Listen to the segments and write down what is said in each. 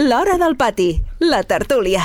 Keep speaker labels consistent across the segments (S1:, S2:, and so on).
S1: L'Hora del Pati, la tertúlia.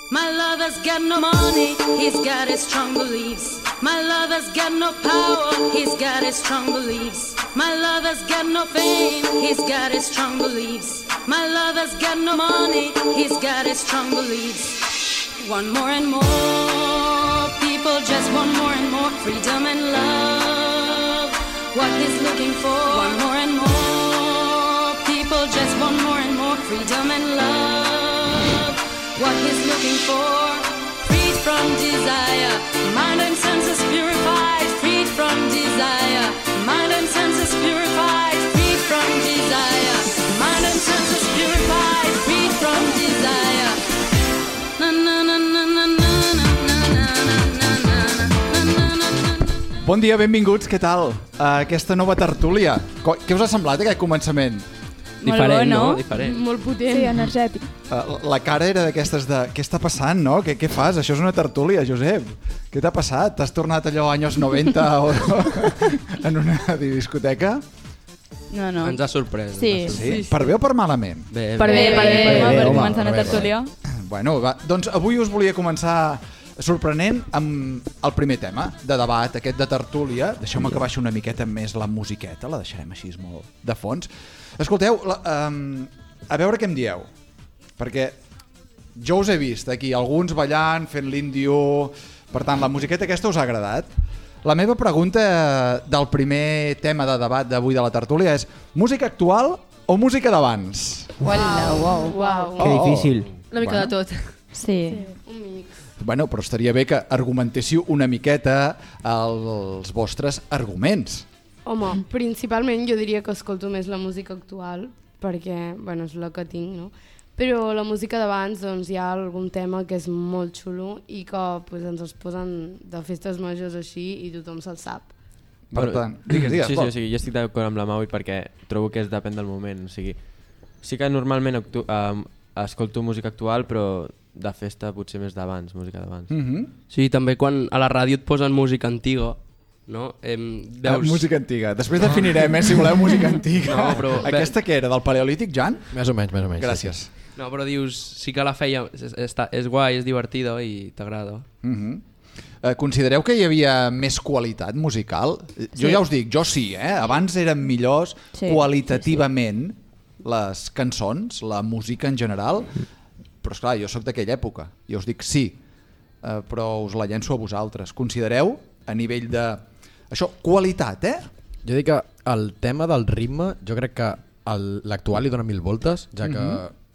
S2: My lover's got no money, he's got his strong beliefs. My lover's got no power, he's got his strong beliefs. My lover's got no fame, he's got his strong beliefs. My lover's got no money, he's got his strong beliefs. Want more and more, people just want more and more freedom and love. What he's looking for, want more and more, people just want more and more freedom and love. What he's looking for, freed from desire, mind and senses purified, freed from desire, mind and senses purified, freed from desire, mind and senses purified, freed from desire. Na na na na na na na na na na.
S3: Bon dia, benvinguts, què tal? Aquesta nova tertúlia. Què us ha semblat aquest començament?
S4: Diferent, no? Diferent.
S5: Molt potent. Sí, energètic.
S3: La cara era d'aquestes de... Què està passant, no? Què fas? Això és una tertúlia, Josep. Què t'ha passat? T'has tornat allò anys 90 o en una discoteca?
S4: No.
S6: Ens ha sorprès.
S4: Sí.
S3: Per bé o per malament?
S6: Bé.
S4: Per començar una tertúlia.
S3: Bueno, va. Doncs avui us volia començar sorprenent amb el primer tema de debat, aquest de tertúlia. Deixeu-me que baixi una miqueta més la musiqueta, la deixarem així molt de fons. Escolteu, a veure què em dieu, perquè jo us he vist aquí, alguns ballant, fent l'índio, per tant, la musiqueta aquesta us ha agradat. La meva pregunta del primer tema de debat d'avui de la tertúlia és música actual o música d'abans?
S5: Wow.
S7: Que difícil.
S5: Una mica de tot.
S4: Sí.
S5: Un mix.
S3: Bueno, però estaria bé que argumentéssiu una miqueta els vostres arguments.
S5: Home, principalment jo diria que escolto més la música actual, perquè, bueno, és la que tinc, no? Però la música d'abans, doncs, hi ha algun tema que és molt xulo i que pues, ens els posen de festes majors així i tothom se'l sap.
S3: Per tant, digues.
S6: Sí, jo estic d'acord amb la Maui perquè trobo que depèn del moment. O sigui, sí que normalment escolto música actual, però de festa potser més d'abans, música d'abans.
S7: Sí, també quan a la ràdio et posen música antiga, no? Veus...
S3: Música antiga. Després definirem, si voleu, música antiga.
S7: No, però...
S3: Aquesta què era, del Paleolític, Jan?
S8: Més o menys.
S3: Gràcies.
S8: Sí.
S7: No, però dius, sí que la feia, és guai, és divertida i t'agrada.
S3: Considereu que hi havia més qualitat musical? Jo ja us dic, jo sí, abans eren millors qualitativament les cançons, la música en general, però esclar, jo sóc d'aquella època i us dic sí, però us la llenço a vosaltres. Considereu a nivell de... Això, qualitat,
S8: Jo dic que el tema del ritme, jo crec que l'actual li dona 1000 voltes, ja que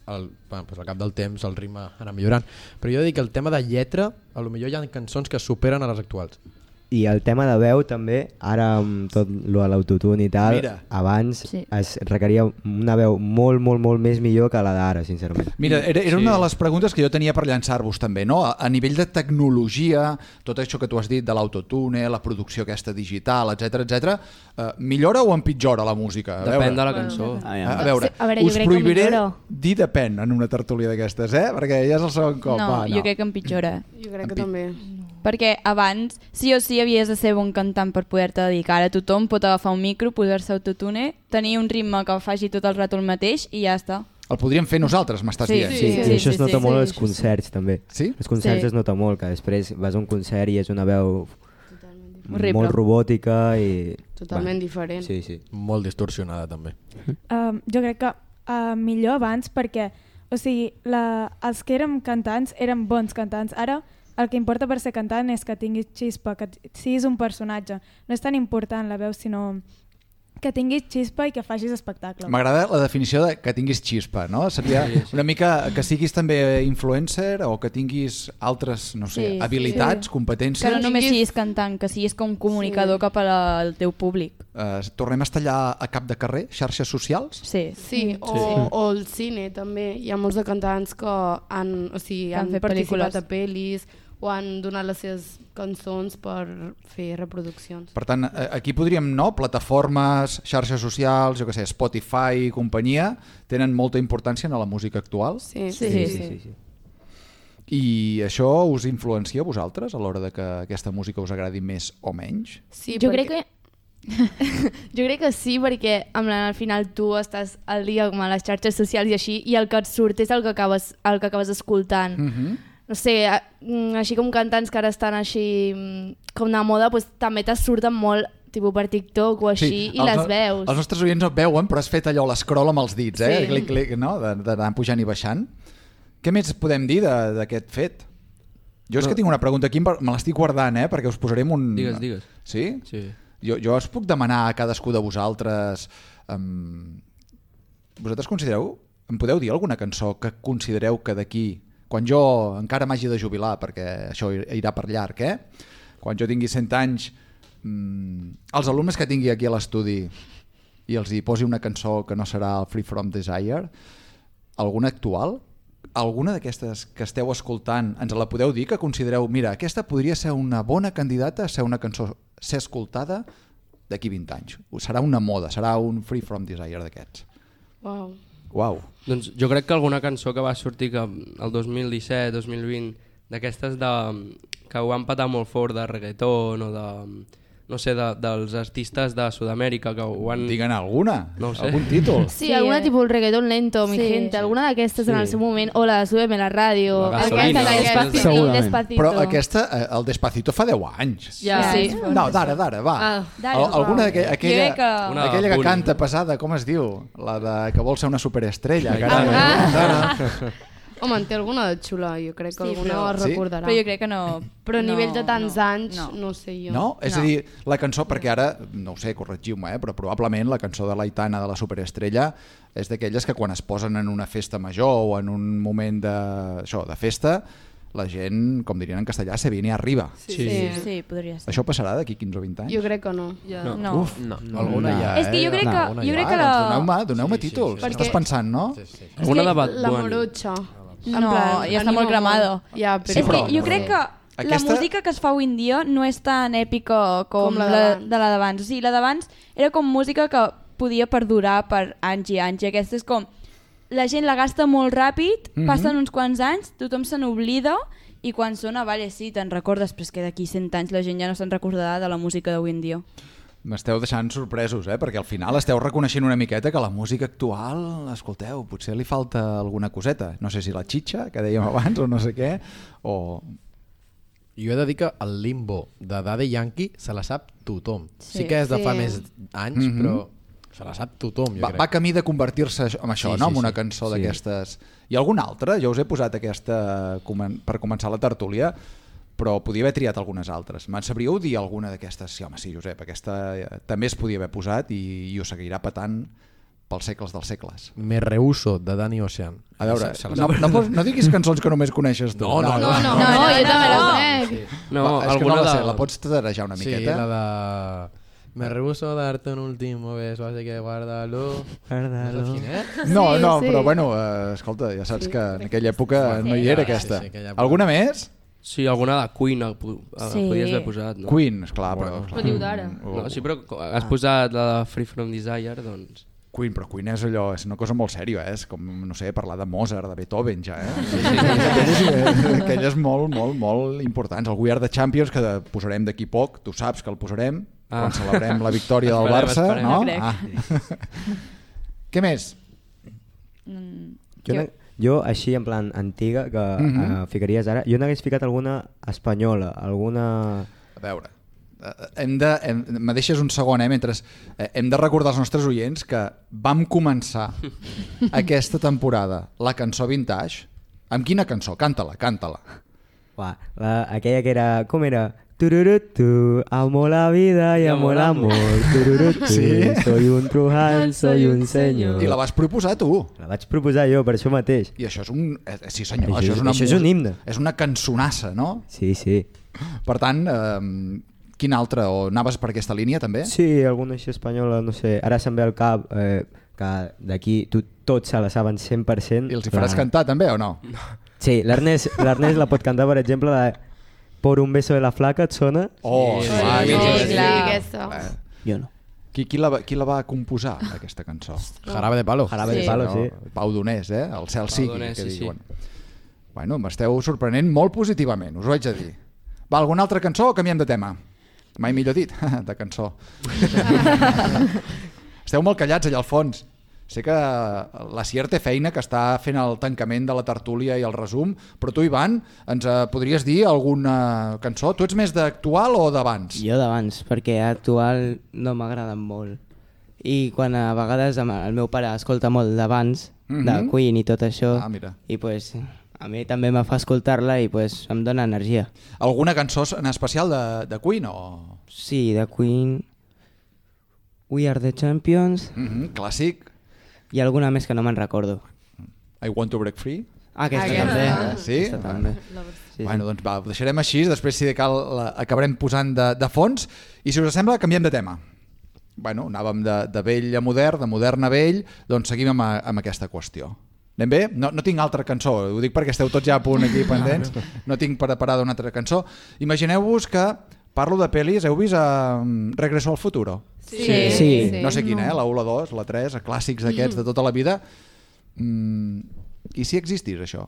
S8: al cap del temps el ritme anà millorant. Però jo dic que el tema de lletra, potser hi ha cançons que superen a les actuals.
S9: I el tema de veu també, ara amb tot l'autotune i tal, abans es requeria una veu molt més millor que la d'ara, sincerament.
S3: Mira, era una de les preguntes que jo tenia per llançar-vos també, no? A nivell de tecnologia, tot això que tu has dit de l'autotune, la producció aquesta digital, etc, millora o empitjora la música?
S7: Depèn de la cançó.
S3: A veure, us prohibiré dir depèn en una tertúlia d'aquestes, perquè ja és el segon cop.
S4: No, jo crec que empitjora.
S5: Jo crec que també.
S4: Perquè abans sí o sí havies de ser bon cantant per poder-te dedicar. Ara tothom pot agafar un micro, posar-se autotune, tenir un ritme que faci tot el rato el mateix i ja està.
S3: El podríem fer nosaltres, m'estàs dient.
S9: Sí, i això es nota molt als concerts també.
S3: Sí?
S9: Els concerts es nota molt, que després vas a un concert i és una veu
S4: molt
S9: robòtica i...
S5: Totalment diferent.
S9: Sí.
S8: Molt distorsionada també.
S10: Jo crec que millor abans perquè, o sigui, els que érem cantants eren bons cantants. Ara el que importa per ser cantant és que tinguis xispa, que siguis un personatge. No és tan important la veu, sinó que tinguis xispa i que facis espectacle.
S3: M'agrada la definició de que tinguis xispa, no? Seria una mica que siguis també influencer o que tinguis altres, no sé, habilitats, competències.
S4: Que no només siguis cantant, que siguis com comunicador cap al teu públic.
S3: Tornem a estar allà a cap de carrer, xarxes socials?
S4: Sí.
S5: O el cine també. Hi ha molts de cantants que han
S4: fet
S5: participat a pel·lis o han donat les seves cançons per fer reproduccions.
S3: Per tant, aquí podríem, no? Plataformes, xarxes socials, jo què sé, Spotify i companyia, tenen molta importància en la música actual?
S5: Sí.
S3: I això us influencia a vosaltres a l'hora de que aquesta música us agradi més o menys?
S5: Sí,
S11: jo crec que sí, perquè al final tu estàs al dia com a les xarxes socials i així, i el que et surt és el que acabes escoltant. No sé, així com cantants que ara estan així com de moda, doncs també te surten molt tipus per TikTok o així, i les veus.
S3: Els nostres oients no et veuen, però has fet allò l'escroll amb els dits, clic, clic, no? D'anar pujant i baixant. Què més podem dir d'aquest fet? Jo és que tinc una pregunta aquí, me l'estic guardant, perquè us posarem un...
S7: Digues.
S3: Sí?
S7: Sí.
S3: Jo us puc demanar a cadascú de vosaltres... Vosaltres considereu... Em podeu dir alguna cançó que considereu que d'aquí... Quan jo encara m'hagi de jubilar, perquè això irà per llarg, quan jo tingui 100 anys, els alumnes que tingui aquí a l'estudi i els hi posi una cançó que no serà el Free From Desire, alguna actual? Alguna d'aquestes que esteu escoltant ens la podeu dir, que considereu, mira, aquesta podria ser una bona candidata a ser una cançó, ser escoltada d'aquí 20 anys. Serà una moda, serà un Free From Desire d'aquests. Uau.
S7: Doncs jo crec que alguna cançó que va sortir el 2017-2020, d'aquestes que ho han patat molt fort de reggaeton o de... no sé, dels artistes de Sud-amèrica que ho han...
S3: Diguen alguna,
S7: no sé.
S3: algun títol.
S11: Sí, alguna tipus el reggaeton lento, mi gente, alguna d'aquestes en el seu moment, o la Súbeme la ràdio,
S3: Despacito. Però aquesta, el Despacito fa 10 anys.
S11: Ja, sí.
S3: No, d'ara, va. Alguna aquella que canta pesada, com es diu? La que vol ser una superestrella.
S5: Home, en té alguna de xula, jo crec que alguna es recordarà.
S4: Però jo crec que no...
S5: Però a nivell de tants anys, no sé jo.
S3: No? És a dir, la cançó, perquè ara, no ho sé, corregiu-me, però probablement la cançó de l'Aitana de la Superestrella és d'aquelles que quan es posen en una festa major o en un moment de festa, la gent, com dirien en castellà, se viene arriba.
S4: Sí, podria ser.
S3: Això passarà d'aquí 15 o 20 anys?
S5: Jo crec que no.
S3: Uf, alguna ja,
S4: És que jo crec que
S3: doneu-me títols. Estàs pensant, no?
S7: Alguna de Bad Bunny.
S5: La Morocha.
S4: No, ja està molt cremado. És que jo crec que la música que es fa avui en dia no és tan èpica com la de la d'abans. O sigui, la d'abans era com música que podia perdurar per anys i anys. I aquesta és com... La gent la gasta molt ràpid, passen uns quants anys, tothom se n'oblida i quan sona, sí, te'n recordes, però és que d'aquí 100 anys la gent ja no se'n recordarà de la música d'avui en dia.
S3: M'esteu deixant sorpresos, perquè al final esteu reconeixent una miqueta que la música actual, escolteu, potser li falta alguna coseta. No sé si la xitxa, que dèiem abans, o no sé què, o...
S8: Jo he de dir que el Limbo de Daddy Yankee se la sap tothom. Sí que és de fa més anys, però se la sap tothom, jo crec.
S3: Va camí de convertir-se en això, no? En una cançó d'aquestes. I alguna altra? Jo us he posat aquesta per començar la tertúlia, però podia haver triat algunes altres. Me'n sabríeu dir alguna d'aquestes? Sí, home, sí, Josep, aquesta també es podia haver posat i ho seguirà patant pels segles dels segles.
S8: Me rehuso, de Danny Ocean.
S3: A veure, no diguis cançons que només coneixes tu.
S11: No, jo també la conec.
S3: No, alguna de... La pots tarejar una miqueta?
S8: Sí, la de... Me rehuso darte un último beso, así que guárdalo.
S3: No, però bueno, escolta, ja saps que en aquella època no hi era aquesta. Alguna més?
S7: Sí, alguna de Queen podies haver posat, no?
S3: Queen, esclar, però...
S11: Però diu d'ara.
S7: Sí, però has posat la de Free From Desire, doncs...
S3: Queen, però Queen és allò, és una cosa molt sèria, és com, no sé, parlar de Mozart, de Beethoven ja, aquelles molt importants. El We Are The Champions, que posarem d'aquí poc, tu saps que el posarem, quan celebrem la victòria del Barça, no? Què més?
S9: Jo, així en plan antiga, que ficaries ara, jo n'hagués ficat alguna espanyola, alguna...
S3: A veure, me deixes un segon, mentre hem de recordar als nostres oients que vam començar aquesta temporada la cançó Vintage. Amb quina cançó? Canta-la.
S9: Aquella que era... Com era? Tururutu, amo la vida y amo el amor. Tururutu, soy un truján, soy un senyor.
S3: I la vas proposar tu.
S9: La vaig proposar jo, per això mateix.
S3: I això és un... Sí senyor,
S9: això és un himne.
S3: És una cançonassa, no?
S9: Sí.
S3: Per tant, quina altra? O anaves per aquesta línia també?
S9: Sí, alguna així espanyola, no sé. Ara se'm ve al cap que d'aquí tots se la saben 100%.
S3: I els hi faràs cantar també o no?
S9: Sí, l'Ernest la pot cantar, per exemple, de Por un beso de la flaca, et sona?
S5: Aquesta.
S9: Jo no.
S3: Qui la va composar, aquesta cançó?
S8: Jarabe de Palo.
S9: Jarabe de Palo, sí.
S3: Pau Donés, el Cel sigui, que diuen. Bueno, m'esteu sorprenent molt positivament, us ho haig de dir. Va, alguna altra cançó o canviem de tema? Mai millor dit, de cançó. Esteu molt callats allà al fons. Sé que la Sier té feina, que està fent el tancament de la tertúlia i el resum, però tu, Ivan, ens podries dir alguna cançó? Tu ets més d'actual o d'abans?
S12: Jo d'abans, perquè actual no m'agrada molt. I quan a vegades el meu pare escolta molt d'abans, de Queen i tot això, i pues, a mi també me fa escoltar-la i pues, em dona energia.
S3: Alguna cançó en especial de Queen? O...
S12: Sí, de Queen... We Are The Champions.
S3: Clàssic.
S12: I alguna més que no me'n recordo.
S3: I Want To Break Free?
S12: Aquesta també.
S3: Sí?
S12: Aquesta també.
S3: Sí. Bueno, doncs va, ho deixarem així, després si de cal acabarem posant de fons, i si us sembla canviem de tema. Bueno, anàvem de vell a modern, de modern a vell, doncs seguim amb aquesta qüestió. Anem bé? No tinc altra cançó, ho dic perquè esteu tots ja a punt aquí pendents, no tinc preparada una altra cançó. Imagineu-vos que parlo de pel·lis, heu vist Regreso al Futuro?
S12: Sí.
S3: No sé quina, la 1, la 2, la 3, clàssics d'aquests de tota la vida. I si existís això?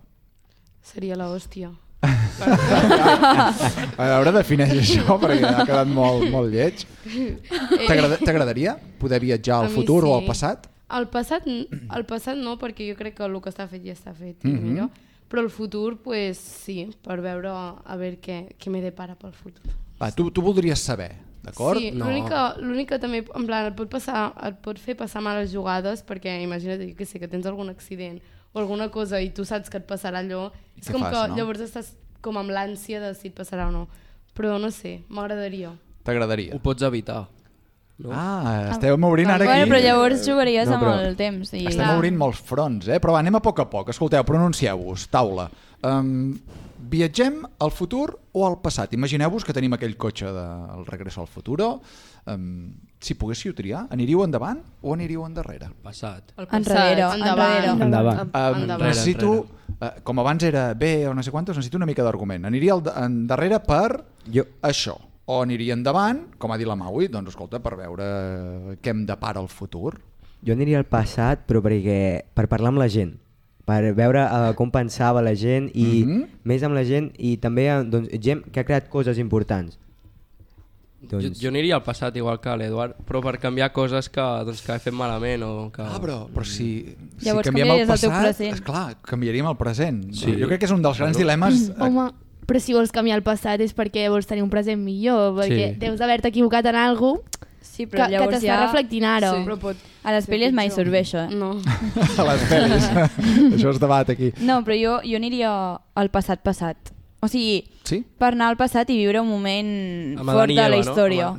S5: Seria l'hòstia.
S3: A veure, defineix això perquè ha quedat molt lleig. T'agradaria poder viatjar al futur o al passat?
S5: El passat no, perquè jo crec que el que està fet ja està fet. Però el futur, pues, sí, per veure a veure què me depara pel futur.
S3: Va, tu voldries saber, d'acord?
S5: Sí, l'únic que també en plan, et pot fer passar males jugades, perquè imagina't que tens algun accident o alguna cosa i tu saps que et passarà allò, és com que llavors estàs com amb l'ànsia de si et passarà o no. Però no sé, m'agradaria.
S3: T'agradaria?
S7: Ho pots evitar. No?
S3: Estem obrint ara aquí.
S4: Però llavors jugaries amb el temps.
S3: Estem obrint molts fronts, però anem a poc. Escolteu, pronuncieu-vos, taula. Viatgem al futur o al passat? Imagineu-vos que tenim aquell cotxe del Regreso al Futuro. Si poguéssiu triar, aniríeu endavant o aniríeu endarrere?
S7: Passat.
S4: Endavant.
S3: Necessito, com abans era B o no sé quantos, necessito una mica d'argument. Aniria endarrere per això. O aniria endavant, com ha dit la Maui, doncs escolta, per veure què em depara el futur.
S9: Jo aniria al passat, però per parlar amb la gent, per veure com pensava la gent i més amb la gent i també gent que ha creat coses importants.
S7: Jo aniria al passat igual que l'Eduard, però per canviar coses que he fet malament o que...
S3: Però si
S4: canviem el passat,
S3: esclar, canviaríem el present. Sí. Jo crec que és un dels grans dilemes...
S11: Home, però si vols canviar el passat és perquè vols tenir un present millor, perquè deus haver-te equivocat en alguna cosa que t'està reflectint ara.
S4: A les pel·lis mai surt bé això.
S5: No.
S3: A les pel·lis. Això es debat aquí.
S4: No, però jo aniria al passat. O sigui, per anar al passat i viure un moment fort de la història.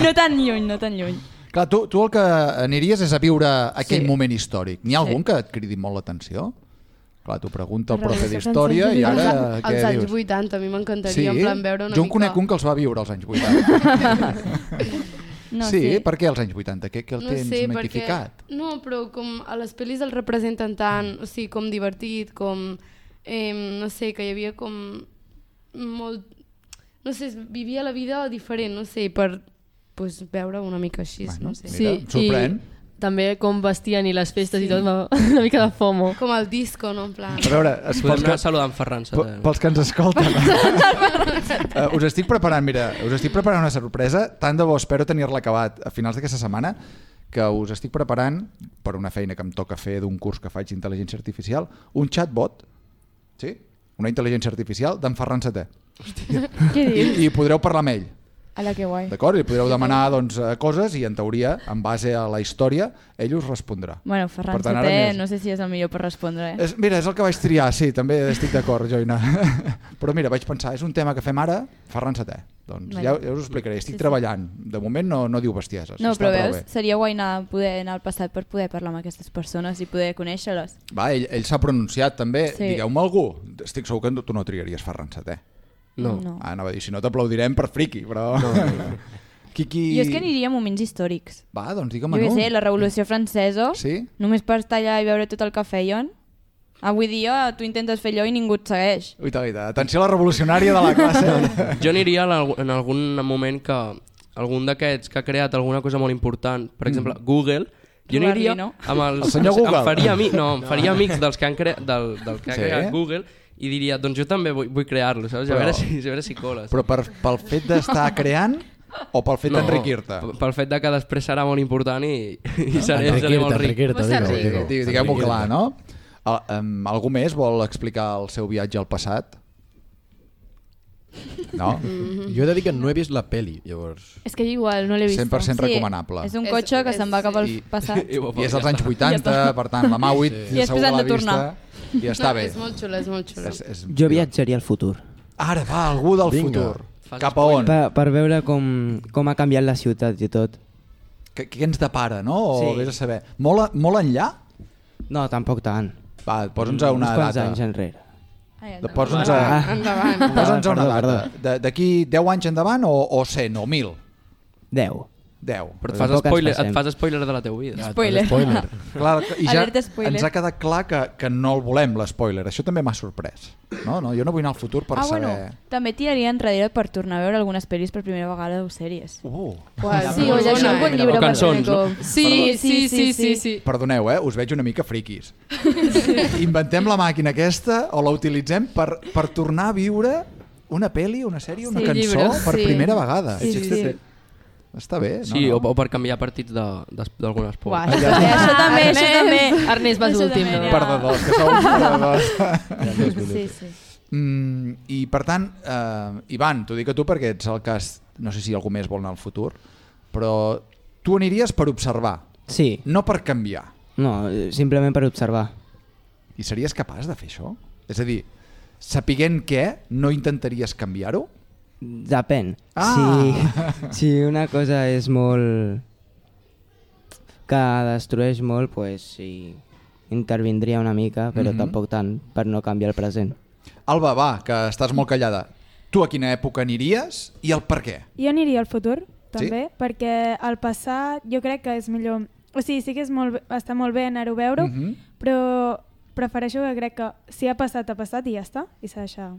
S4: No tan lluny.
S3: Clar, tu el que aniries és a viure aquell moment històric. N'hi ha algun que et cridi molt l'atenció? Clar, t'ho pregunta el profe d'història i ara què dius?
S5: Els anys 80, a mi m'encantaria en plan veure una mica...
S3: Jo en conec un que els va viure als anys 80. Sí, per què als anys 80? Què el tens mitificat?
S5: No, però com a les pel·lis el representen tant, o sigui, com divertit, com... no sé, que hi havia com molt... No sé, vivia la vida diferent, no sé, per veure una mica així, no sé.
S3: Mira, sorprèn.
S13: També com vestien i les festes i tot, una mica de FOMO.
S5: Com el disco, no? En plan...
S3: A veure,
S7: podem anar saludant Ferran Sete.
S3: Pels que ens escolten. Us estic preparant una sorpresa, tant de bo espero tenir-la acabat a finals d'aquesta setmana, que us estic preparant, per una feina que em toca fer d'un curs que faig d'intel·ligència artificial, un chatbot, sí? Una intel·ligència artificial d'en Ferran Sete.
S4: Què dius?
S3: I podreu parlar amb ell.
S4: Ala, que guai.
S3: D'acord? I podreu demanar coses i en teoria, en base a la història, ell us respondrà.
S4: Bueno, Ferran Sete, no sé si és el millor per respondre.
S3: Mira, és el que vaig triar, sí, també estic d'acord, Joina. Però mira, vaig pensar, és un tema que fem ara, Ferran Sete. Doncs ja us ho explicaré, estic treballant. De moment no diu bestieses.
S4: No, però veus, seria guai poder anar al passat per poder parlar amb aquestes persones i poder conèixer-les.
S3: Va, ell s'ha pronunciat també. Digueu-me algú. Estic segur que tu no triaries Ferran Sete.
S7: No.
S3: Anava a dir, si no t'aplaudirem per friqui, però...
S4: Jo és que aniria a moments històrics.
S3: Va, doncs digue'm-ne.
S4: Jo què sé, la Revolució Francesa, només per estar allà i veure tot el que feien. Avui dia tu intentes fer allò i ningú et segueix.
S3: Uita, atenció a la revolucionària de la classe.
S7: Jo aniria en algun moment que algun d'aquests que ha creat alguna cosa molt important, per exemple Google, Jo aniria amb
S3: el senyor Google.
S7: Em faria amics dels que han creat Google i diria, doncs jo també vull crear-lo, saps? A veure si coles.
S3: Però pel fet d'estar creant o pel fet d'enriquir-te?
S7: Pel fet que després serà molt important i seré molt ric.
S3: Diguem-ho clar, no? Algú més vol explicar el seu viatge al passat? No?
S8: Jo he de dir que no he vist la peli, llavors...
S11: És que igual no l'he vist.
S3: 100% recomanable.
S4: És un cotxe que se'n va cap al passat.
S3: I és als anys 80, per tant, la Mauit segur que l'ha vista i està bé.
S5: És molt xula, és molt xula.
S12: Jo viatjaria al futur.
S3: Ara va, algú del futur. Cap a on?
S12: Per veure com ha canviat la ciutat i tot.
S3: Què ens depara, no? O vés a saber. Molt enllà?
S12: No, tampoc tant.
S3: Va, posa'ns a una data.
S12: Uns quants anys enrere.
S3: Posa'ns a una data. D'aquí 10 anys endavant o 100 o 1.000?
S12: 10.
S7: Però et fas spoiler de la teva vida.
S4: Spoiler.
S3: Clar, i ja ens ha quedat clar que no el volem, l'espoiler. Això també m'ha sorprès. No, jo no vull anar al futur per saber...
S4: Bueno, també tiraria enrere per tornar a veure algunes pel·lis per primera vegada o sèries.
S11: Sí, o llegir un bon llibre.
S7: O cançons, no?
S11: Sí.
S3: Perdoneu, us veig una mica friquis. Inventem la màquina aquesta o la utilitzem per tornar a viure una pel·li, una sèrie, una cançó per primera vegada.
S11: Sí.
S3: Està bé, no?
S7: Sí, o per canviar partits d'algun esport.
S4: Això també.
S13: Ernest, vas últim.
S3: Perdedors, que sou uns perdedors.
S4: Sí.
S3: I per tant, Ivan, t'ho dic a tu perquè ets el cas, no sé si algú més vol anar al futur, però tu aniries per observar, no per canviar.
S12: No, simplement per observar.
S3: I series capaç de fer això? És a dir, sapiguent què, no intentaries canviar-ho?
S12: Depèn. Si una cosa és molt... que destrueix molt, pues sí, intervindria una mica, però tampoc tant, per no canviar el present.
S3: Alba, va, que estàs molt callada. Tu a quina època aniries i el per què?
S10: Jo aniria al futur, també, perquè el passat jo crec que és millor... O sigui, sí que està molt bé anar-ho a veure, però prefereixo que crec que si ha passat i ja està, i s'ha deixat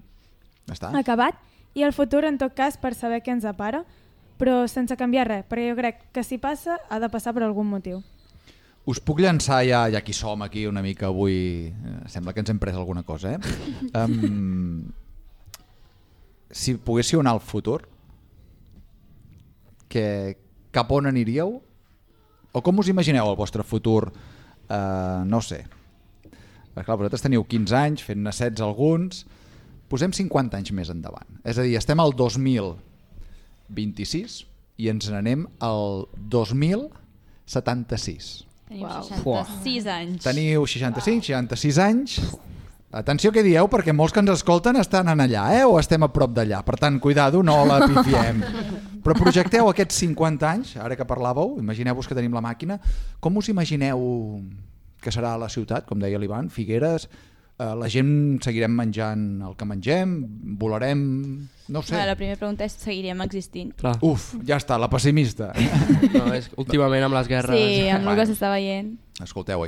S10: acabat. I el futur, en tot cas, per saber què ens depara, però sense canviar res, perquè jo crec que si passa, ha de passar per algun motiu.
S3: Us puc llançar, ja que som aquí una mica avui, sembla que ens hem pres alguna cosa, si poguéssiu anar al futur, cap on aniríeu? O com us imagineu el vostre futur? No sé. Clar, vosaltres teniu 15 anys, fent-ne 16 alguns... Posem 50 anys més endavant. És a dir, estem al 2026 i ens n'anem al 2076.
S4: Tenim 66 anys.
S3: Teniu 65, 66 anys. Atenció què dieu, perquè molts que ens escolten estan en allà, o estem a prop d'allà. Per tant, cuidado, no la pifiem. Però projecteu aquests 50 anys, ara que parlàveu, imagineu-vos que tenim la màquina, com us imagineu que serà la ciutat, com deia l'Ivan, Figueres... La gent seguirem menjant el que mengem, volarem, no ho sé.
S4: La primera pregunta és, seguirem existint?
S3: Uf, ja està, la pessimista.
S7: No, últimament amb les guerres...
S4: Sí, amb el que s'està veient.
S3: Escolteu,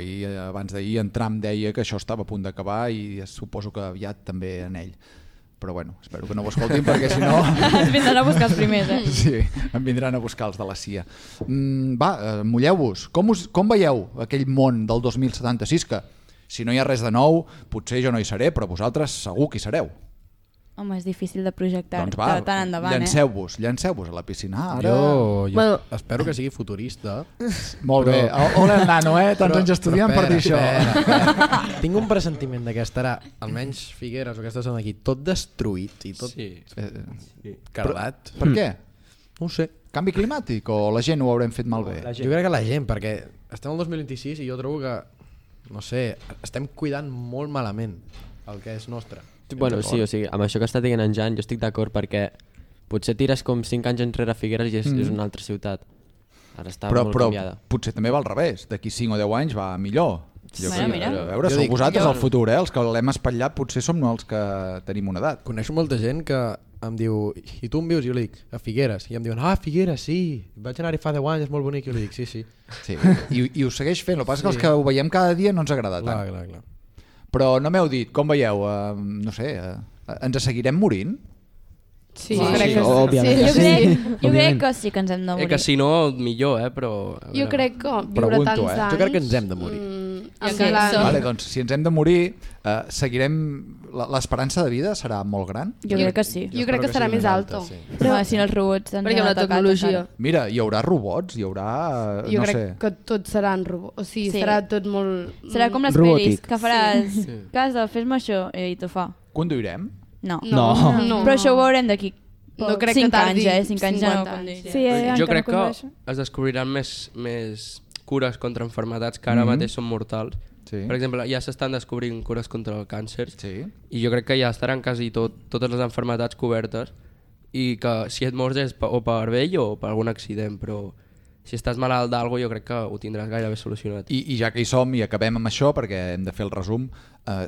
S3: abans d'ahir en Trump deia que això estava a punt d'acabar i suposo que aviat també en ell. Però bueno, espero que no ho escoltin perquè si no...
S4: Ens vindran a buscar els primers,
S3: Sí, em vindran a buscar els de la CIA. Va, mulleu-vos. Com veieu aquell món del 2076 que... Si no hi ha res de nou, potser jo no hi seré, però vosaltres segur que hi sereu.
S4: Home, és difícil de projectar
S3: doncs va,
S4: tant endavant,
S3: llanceu-vos a la piscina. Ara...
S8: Jo espero que sigui futurista.
S3: Molt bé. Hola el nano, tants anys estudiant per dir això.
S8: Tinc un pressentiment que estarà, almenys Figueres o aquestes són aquí, tot destruït i tot cardat.
S3: Per què?
S8: No ho sé.
S3: Canvi climàtic o la gent ho haurem fet malbé?
S8: Jo crec que la gent, perquè estem al 2026 i jo trobo que no sé, estem cuidant molt malament el que és nostre.
S6: Bueno, sí, o sigui, amb això que està dient en Jan, jo estic d'acord perquè potser tires com 5 anys enrere a Figueres i és una altra ciutat. Ara està molt canviada.
S3: Però potser també va al revés, d'aquí 5 o 10 anys va millor.
S4: Mira.
S3: A veure, sou vosaltres el futur, els que l'hem espatllat potser som els que tenim una edat.
S8: Coneixo molta gent que em diu, i tu on vius? Jo li dic, a Figueres. I em diuen, Figueres, sí, vaig anar-hi fa 10 anys, és molt bonic. Jo li dic, sí.
S3: I ho segueix fent, el que passa que els que ho veiem cada dia no ens agrada tant.
S8: Clar.
S3: Però no m'heu dit, com veieu, no sé, ens seguirem morint?
S5: Sí,
S12: crec que
S4: Jo crec que sí que ens hem de morir.
S7: Que si no, millor, però...
S5: Jo crec que viure tants anys...
S8: Jo crec que ens hem de morir.
S3: Vale, doncs, si ens hem de morir, seguirem... L'esperança de vida serà molt gran?
S4: Jo crec que sí.
S5: Jo crec que serà més alta.
S4: Però si no els robots...
S13: Perquè amb la tecnologia...
S3: Mira, hi haurà robots, hi haurà...
S5: Jo crec que tots seran robots. O sigui, serà tot molt...
S4: Serà com les pel·lis, que faràs... Casa, fes-me això, i t'ho fa.
S3: Conduirem?
S4: No.
S10: Però
S4: això ho veurem d'aquí
S5: 5
S4: anys, 5 anys ja no.
S7: Jo crec que es descobriran més cures contra malalties que ara mateix són mortals. Per exemple, ja s'estan descobrint cures contra el càncer i jo crec que ja estaran quasi totes les malalties cobertes i que si et mors és o per vell o per algun accident, però si estàs malalt d'algo jo crec que ho tindràs gairebé solucionat.
S3: I ja que hi som i acabem amb això, perquè hem de fer el resum,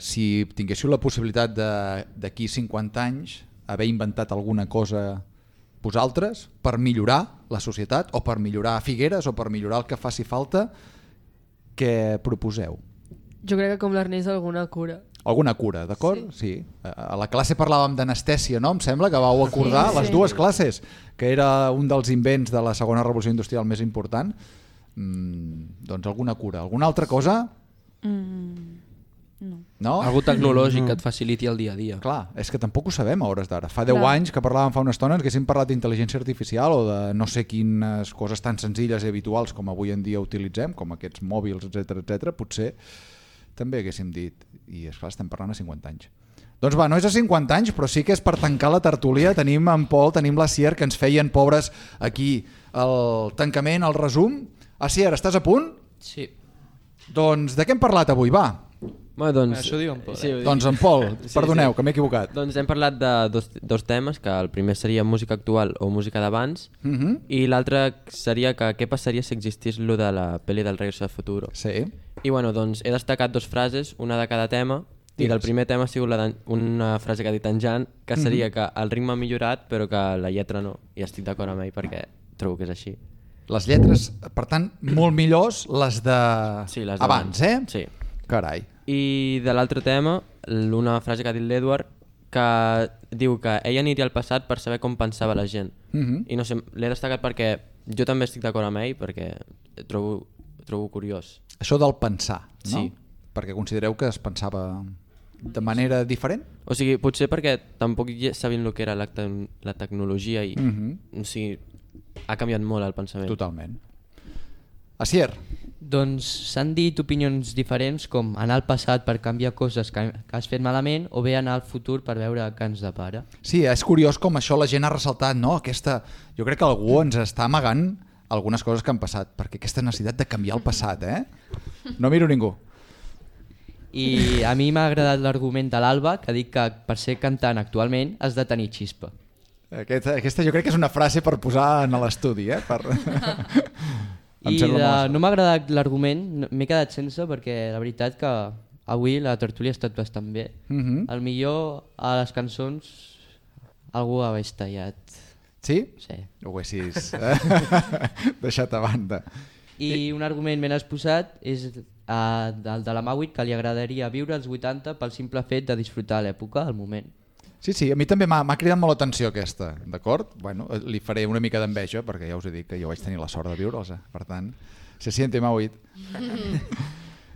S3: si tinguéssiu la possibilitat d'aquí 50 anys haver inventat alguna cosa vosaltres per millorar la societat o per millorar Figueres o per millorar el que faci falta, què proposeu?
S13: Jo crec que com l'Ernest alguna cura.
S3: Alguna cura, d'acord? Sí. A la classe parlàvem d'anestèsia, no? Em sembla que vau acordar les dues classes, que era un dels invents de la segona revolució industrial més important. Doncs alguna cura. Alguna altra cosa? No?
S7: Algú tecnològic que et faciliti el dia a dia.
S3: Clar, és que tampoc ho sabem a hores d'ara. Fa 10 anys que parlàvem fa una estona que haguéssim parlat d'intel·ligència artificial o de no sé quines coses tan senzilles i habituals com avui en dia utilitzem, com aquests mòbils, etc. Potser també haguéssim dit, i esclar, estem parlant a 50 anys. Doncs va, no és a 50 anys, però sí que és per tancar la tertúlia. Tenim en Pol, tenim la Sier, que ens feien pobres aquí el tancament, el resum. Sier, estàs a punt?
S6: Sí.
S3: Doncs de què hem parlat avui? Va.
S6: Doncs,
S8: això diu en Pol.
S6: Sí,
S3: doncs en Pol, perdoneu, que m'he equivocat.
S6: Doncs hem parlat de dos temes, que el primer seria música actual o música d'abans, i l'altre seria que què passaria si existís lo de la pel·li del Regreso al Futuro.
S3: Sí.
S6: I bueno, doncs he destacat 2 frases, una de cada tema, i del primer tema ha sigut una frase que ha dit en Jan, que seria que el ritme ha millorat però que la lletra no, i estic d'acord amb ell perquè trobo que és així.
S3: Les lletres, per tant, molt millors les de abans, eh?
S6: Sí.
S3: Carai.
S6: I de l'altre tema, una frase que ha dit l'Edward, que diu que ell aniria al passat per saber com pensava la gent. I no sé, l'he destacat perquè jo també estic d'acord amb ell, perquè trobo curiós.
S3: Això del pensar, no?
S6: Sí.
S3: Perquè considereu que es pensava de manera diferent?
S6: O sigui, potser perquè tampoc sabien el que era la tecnologia i o sigui, ha canviat molt el pensament.
S3: Totalment. Asier?
S14: Doncs s'han dit opinions diferents, com anar al passat per canviar coses que has fet malament o bé anar al futur per veure què ens depara.
S3: Sí, és curiós com això la gent ha ressaltat, no? Jo crec que algú ens està amagant algunes coses que han passat, perquè aquesta necessitat de canviar el passat, No miro ningú.
S14: I a mi m'ha agradat l'argument de l'Alba, que dic que per ser cantant actualment has de tenir xispa.
S3: Aquesta jo crec que és una frase per posar en l'estudi,
S14: I no m'ha agradat l'argument, m'he quedat sense perquè la veritat que avui la tertúlia ha estat bastant bé. Al millor a les cançons algú ho hagués tallat.
S3: Sí?
S14: Sí.
S3: Ho haguessis deixat a banda.
S14: I un argument ben exposat és el de la Mauit, que li agradaria viure als 80 pel simple fet de disfrutar l'època, el moment.
S3: Sí, a mi també m'ha cridat molt l'atenció aquesta, d'acord? Bueno, li faré una mica d'enveja, perquè ja us he dit que jo vaig tenir la sort de viure'ls, per tant, se siente Mauit.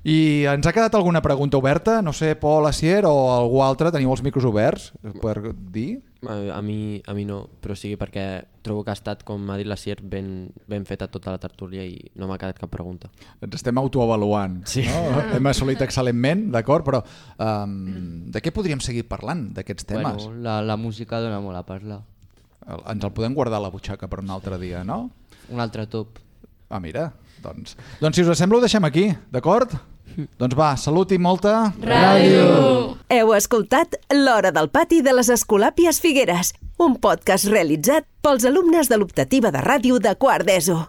S3: I ens ha quedat alguna pregunta oberta? No sé, Pol, Asier o algú altre, teniu els micros oberts per dir?
S6: A mi no, però sí perquè trobo que ha estat, com ha dit l'Asier, ben feta tota la tertúlia i no m'ha quedat cap pregunta.
S3: Ens estem autoavaluant,
S6: sí.
S3: No? Hem assolit excel·lentment, d'acord, però de què podríem seguir parlant d'aquests temes?
S14: Bueno, la música dona molt a parlar.
S3: Ens el podem guardar a la butxaca per un altre dia, no?
S14: Un altre top.
S3: Ah, mira, doncs si us sembla ho deixem aquí, d'acord? Doncs va, salut i molta...
S1: Ràdio! Heu escoltat L'Hora del Pati de les Escolàpies Figueres, un podcast realitzat pels alumnes de l'optativa de ràdio de quart d'ESO.